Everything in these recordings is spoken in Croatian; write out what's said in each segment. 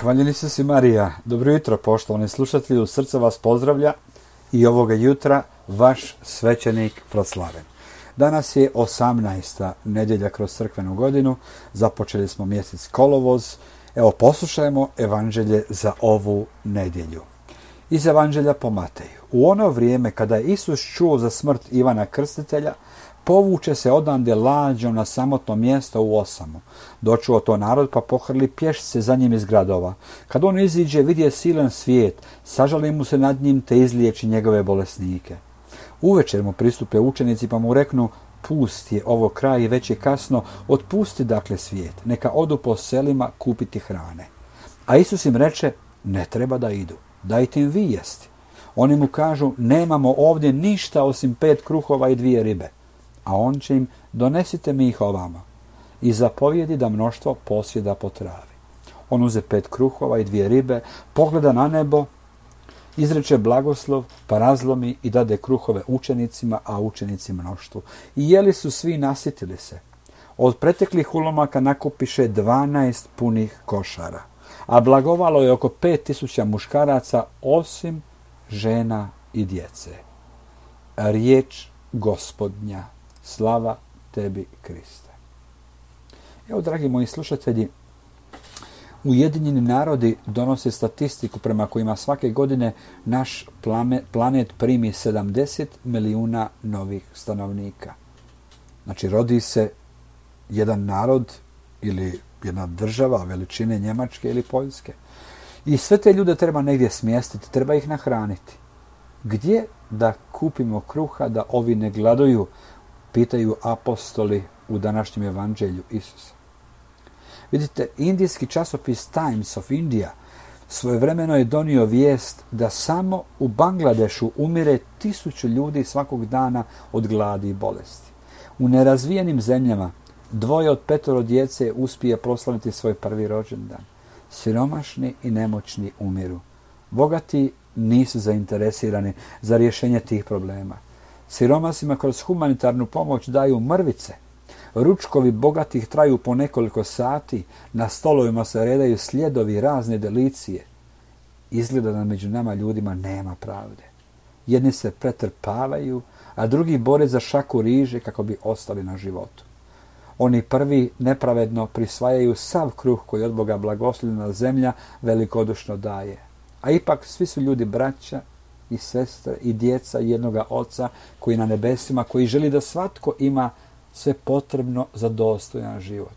Hvaljeni su si Marija. Dobro jutro, poštovani slušatelji, u srce vas pozdravlja i ovoga jutra vaš svećenik Proslaven. Danas je 18. nedjelja kroz crkvenu godinu, započeli smo mjesec kolovoz. Evo, poslušajmo evanđelje za ovu nedjelju. Iz evanđelja po Mateju. U ono vrijeme kada je Isus čuo za smrt Ivana Krstitelja, povuče se odande lađom na samotno mjesto u osamu. Dočuo to narod, pa pohrli pješice za njim iz gradova. Kad on iziđe, vidje silan svijet, sažali mu se nad njim, te izliječi njegove bolesnike. Uvečer mu pristupe učenici, pa mu reknu: pust je ovo kraj i već je kasno, otpusti dakle svijet, neka odu po selima kupiti hrane. A Isus im reče: ne treba da idu, dajte im vi jesti. Oni mu kažu: nemamo ovdje ništa osim 5 kruhova i 2 ribe. A on će im: donesite mi ih ovamo. I zapovjedi da mnoštvo posjeda po travi. On uze 5 kruhova i 2 ribe, pogleda na nebo, izreče blagoslov, pa razlomi i dade kruhove učenicima, a učenici mnoštvu. I jeli su svi, nasitili se. Od preteklih ulomaka nakupiše 12 punih košara. A blagovalo je oko 5000 muškaraca, osim žena i djece. Riječ Gospodnja. Slava tebi, Kriste. Evo, dragi moji slušatelji, Ujedinjeni narodi donose statistiku prema kojima svake godine naš planet primi 70 milijuna novih stanovnika. Znači, rodi se jedan narod ili jedna država veličine Njemačke ili Poljske. I sve te ljude treba negdje smjestiti, treba ih nahraniti. Gdje da kupimo kruha da ovi ne gladuju, pitaju apostoli u današnjem evanđelju Isusa. Vidite, indijski časopis Times of India svojevremeno je donio vijest da samo u Bangladešu umire 1000 ljudi svakog dana od gladi i bolesti. U nerazvijenim zemljama 2 od 5 djece uspije proslaviti svoj prvi rođendan. Siromašni i nemoćni umiru. Bogati nisu zainteresirani za rješenje tih problema. Siromasima kroz humanitarnu pomoć daju mrvice. Ručkovi bogatih traju po nekoliko sati, na stolovima se redaju sljedovi, razne delicije. Izgleda da među nama ljudima nema pravde. Jedni se pretrpavaju, a drugi bore za šaku riže kako bi ostali na životu. Oni prvi nepravedno prisvajaju sav kruh koji od Boga blagoslovljena zemlja velikodušno daje. A ipak svi su ljudi braća i sestre i djeca jednoga Oca koji na nebesima, koji želi da svatko ima sve potrebno za dostojan život.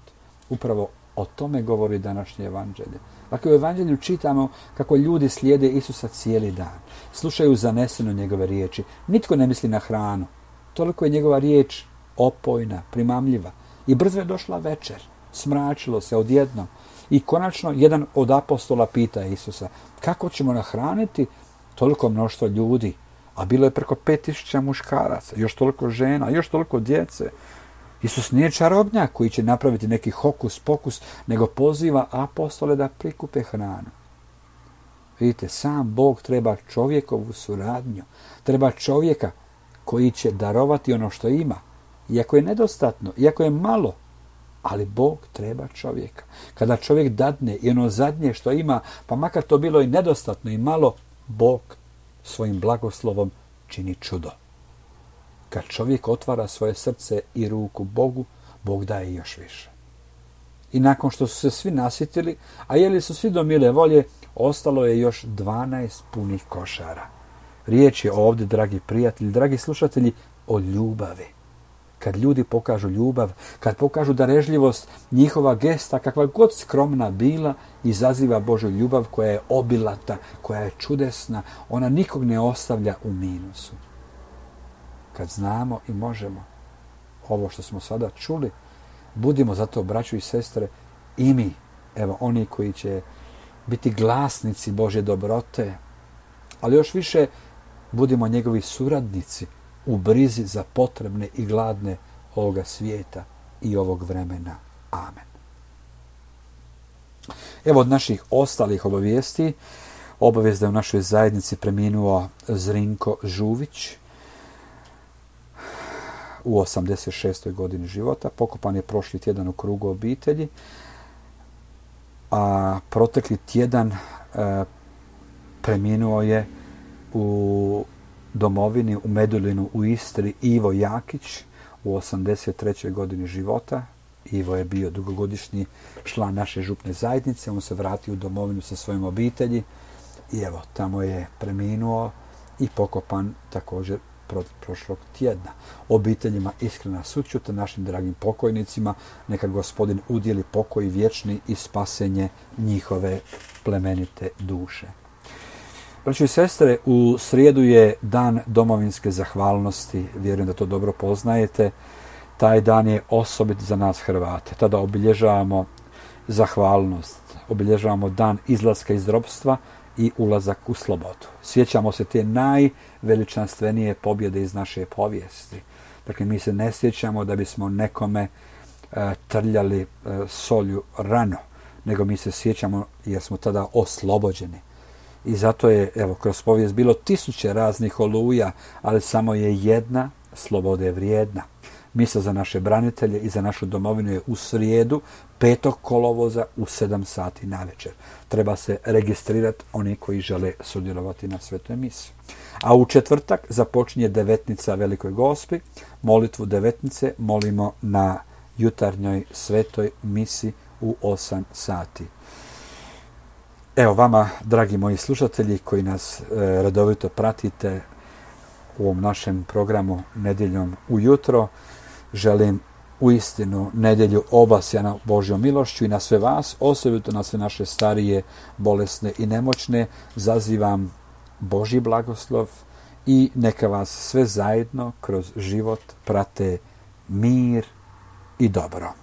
Upravo o tome govori današnje evanđelje. Dakle, u evanđelju čitamo kako ljudi slijede Isusa cijeli dan. Slušaju zaneseno njegove riječi. Nitko ne misli na hranu. Toliko je njegova riječ opojna, primamljiva. I brzo je došla večer. Smračilo se odjednom. I konačno jedan od apostola pita Isusa: kako ćemo nahraniti toliko mnoštvo ljudi? A bilo je preko 5000 muškaraca, još toliko žena, još toliko djece. Isus nije čarobnjak koji će napraviti neki hokus pokus, nego poziva apostole da prikupe hranu. Vidite, sam Bog treba čovjekovu suradnju. Treba čovjeka koji će darovati ono što ima. Iako je nedostatno, iako je malo, ali Bog treba čovjeka. Kada čovjek dadne i ono zadnje što ima, pa makar to bilo i nedostatno i malo, Bog svojim blagoslovom čini čudo. Kad čovjek otvara svoje srce i ruku Bogu, Bog daje još više. I nakon što su se svi nasitili, a jeli su svi do mile volje, ostalo je još 12 punih košara. Riječ je ovdje, dragi prijatelji, dragi slušatelji, o ljubavi. Kad ljudi pokažu ljubav, kad pokažu darežljivost, njihova gesta, kakva god skromna bila, izaziva Božju ljubav koja je obilata, koja je čudesna, ona nikog ne ostavlja u minusu. Kad znamo i možemo ovo što smo sada čuli, budimo zato, braćo i sestre, i mi, evo oni koji će biti glasnici Božje dobrote, ali još više budimo njegovi suradnici u brizi za potrebne i gladne ovoga svijeta i ovog vremena. Amen. Evo od naših ostalih obavijesti, obavijest da je u našoj zajednici preminuo Zrinko Žuvić u 86. godini života. Pokopan je prošli tjedan u krugu obitelji. a protekli tjedan preminuo je u domovini, u Medulinu, u Istri, Ivo Jakić u 83. godini života. Ivo je bio dugogodišnji član naše župne zajednice, on se vratio u domovinu sa svojim obitelji i evo, tamo je preminuo i pokopan također prošlog tjedna. Obiteljima iskrena sućut, našim dragim pokojnicima, neka Gospodin udjeli pokoj vječni i spasenje njihove plemenite duše. Braćo i sestre, u srijedu je dan domovinske zahvalnosti, vjerujem da to dobro poznajete. Taj dan je osobit za nas Hrvate. Tada obilježavamo zahvalnost, obilježavamo dan izlaska iz ropstva i ulazak u slobodu. Sjećamo se te najveličanstvenije pobjede iz naše povijesti. Dakle, mi se ne sjećamo da bismo nekome trljali solju rano, nego mi se sjećamo jer smo tada oslobođeni. I zato je, evo, kroz povijest bilo tisuće raznih oluja, ali samo je jedna slobode vrijedna. Misa za naše branitelje i za našu domovinu je u srijedu 5. kolovoza u 7 sati navečer. Treba se registrirati oni koji žele sudjelovati na svetoj misi. A u četvrtak započinje devetnica Velikoj Gospi. Molitvu devetnice molimo na jutarnjoj svetoj misi u 8 sati. Evo vama, dragi moji slušatelji koji nas redovito pratite u ovom našem programu Nedjeljom ujutro, želim uistinu nedjelju obasjana Božjom milošću i na sve vas, osobito na sve naše starije, bolesne i nemoćne, zazivam Božji blagoslov i neka vas sve zajedno kroz život prate mir i dobro.